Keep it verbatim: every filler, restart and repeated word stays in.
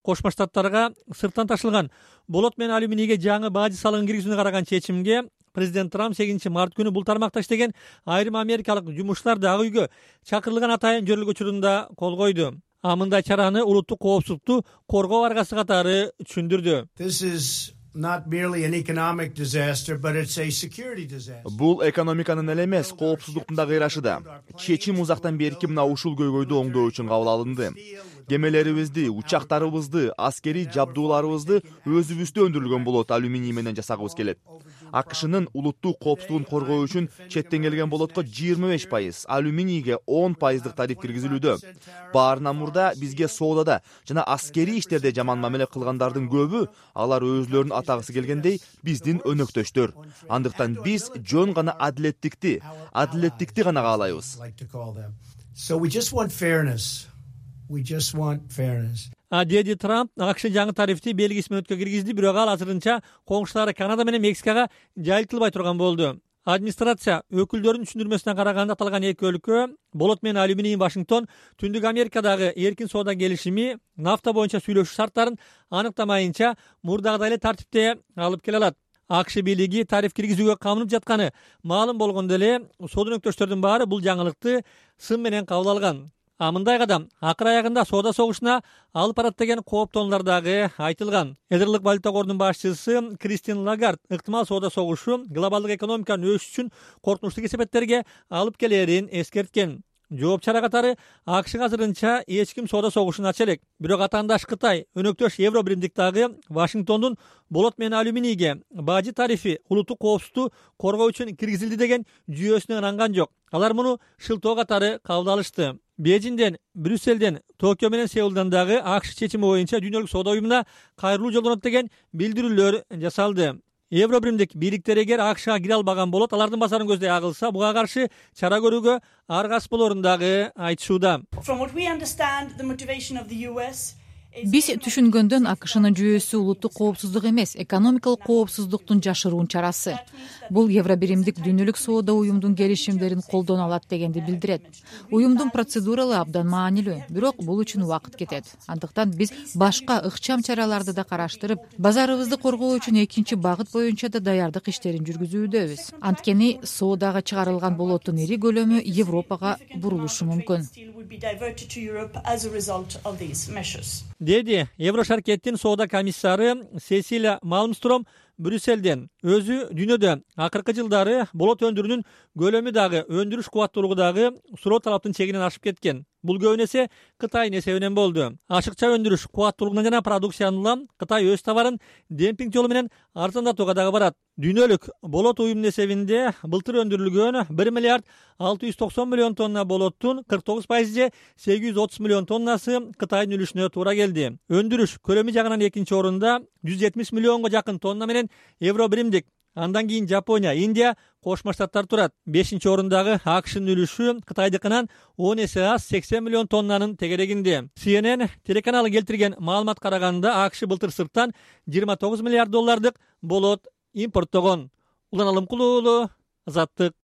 Кошмо Штаттарга сырттан ташылган болот менен алюминийге жаңы бажы салыгын киргизүүнү караган чечимге президент Трамп сегизинчи март күнү бул тармакта иштеген айрым америкалык жумушчуларды ак үйгө чакырылган атайын жөрөлгө учурунда кол койду. А мындай чараны улуттук коопсуздукту коргоо аргасы катары түшүндүрдү. Бул экономиканын эле эмес, коопсуздуктун да кыйрашы да. Чечим узактан берки мына ушул көйгөйдү оңдоо үчүн кабыл алынды. Кемелерибизди, учактарыбызды, аскерий жабдууларыбызды өзүбүздө өндүрүлгөн болот алюминий менен жасагыбыз келет. АКШнын улуттук коопсуздугун коргоо үчүн четтен келген болотко жыйырма беш пайыз, алюминийге он пайыздык тариф киргизилүүдө. Баарынан мурда бизге соодада жана аскерий иштерде жаман мамиле кылгандардын көбү алар өзлөрүн атагысы келгендей биздин өнөктөштөр. Андыктан биз жөн гана адилеттикти, адилеттикти гана каалайбыз. We just want fairness. А деди Трамп АКШ жаңы тарифти белгисиз мөөнөткө киргизди, бирок ал азырынча коңшулары Канада менен Мексикага жайылтылбай турган болду. Администрация өкүлдөрүнүн түшүндүрмөсүнө караганда аталган эки өлкө болот менен алюминий Вашингтон Түндүк Америкадагы эркин соода келишими нафта боюнча сүйлөшүү шарттарын аныктамайынча мурдагыдай эле тартипте алып келе алат. АКШ бийлиги тариф киргизүүгө камынып жатканы маалым болгондо эле соода өнөктөштөрдүн баары бул жаңылыкты сын менен кабыл алган. А мындай кадам акыр аягында соода согушуна алып барат деген кооптонуулар дагы айтылган. Эдерлик валюта кордунун башчысы Кристин Лагард ыктымал соода согушу глобалдык экономиканын өсүшү үчүн коркунучтуу кесепеттерге алып келерин эскерткен. Жооп чара катары АКШга азырынча эч ким соода согушун ача элек. Бирок атаандаш Кытай, өнөктөш Евро биримдик дагы Вашингтондун болот менен алюминийге бажы тарифи улуттук коопсуздукту коргоо үчүн киргизилди деген жүйөсүнө ынанган жок. Алар муну шылтоо катары кабыл алышты. Бейжиңден, Брюсселден, Токио менен Сеулдан дагы АКШ чечими боюнча Дүйнөлүк соода уюмуна кайрылуу жолдонот деген билдирүүлөр жасалды. Евро биримдик бийликтер эгер АКШга кире албаган болот, алардын базарын көздөй агылса, буга каршы чара көрүүгө аргасыз болорун дагы айтышууда. Биз түшүнгөндөн АКШнын жүйөсү улуттук коопсуздук эмес, экономикалык коопсуздуктун жашыруун чарасы. Бул Евро биримдик Дүйнөлүк соода уюмдун келишимдерин колдоно алат дегенди билдирет. Уюмдун процедуралы абдан маанилүү, бирок бул үчүн убакыт кетет. Андыктан биз башка ыкчам чараларды да караштырып, базарыбызды коргоо үчүн экинчи багыт боюнча да даярдык иштерин жүргүзүүдөбүз. Анткени соодага чыгарылган болоттун ири көлөмү Европага бурулушу мүмкүн. Деди Евро шаркеттин соода комиссары Сесилия Малмстром Брюсселден. Өзү дүйнөдө акыркы жылдары болот өндүрүүнүн көлөмү дагы, өндүрүш кубаттуулугу дагы суроо талаптын чегинен ашып кеткен. Бул көбүн эсе Кытайдын эсебинен болду. Ашыкча өндүрүш кубаттуулугунан жана продукцияны улам Кытай өз товарын демпинг жолу менен арзандатууга дагы барат. Дүйнөлүк болот уюмунун эсебинде былтыр өндүрүлгөн бир миллиард алты жүз токсон миллион тонна болоттун кырк тогуз пайызы же сегиз жүз отуз миллион тоннасы Кытайдын үлүшүнө туура келди. Өндүрүш көлөмү жагынан экинчи орунда жүз жетимиш миллионго жакын тонна менен Евро биримдик. Андан кийин Жапония, Индия, Кошмо Штаттар турат. бешинчи орундагы АКШнын үлүшү Кытайдыкынан он эсе аз сексен миллион тоннанын тегерегинде. Си Эн Эн телеканалы келтирген маалымат караганда АКШ былтыр сырттан жыйырма тогуз миллиард доллардык болот импорттогон. Улан Алымкулуу, Азаттык.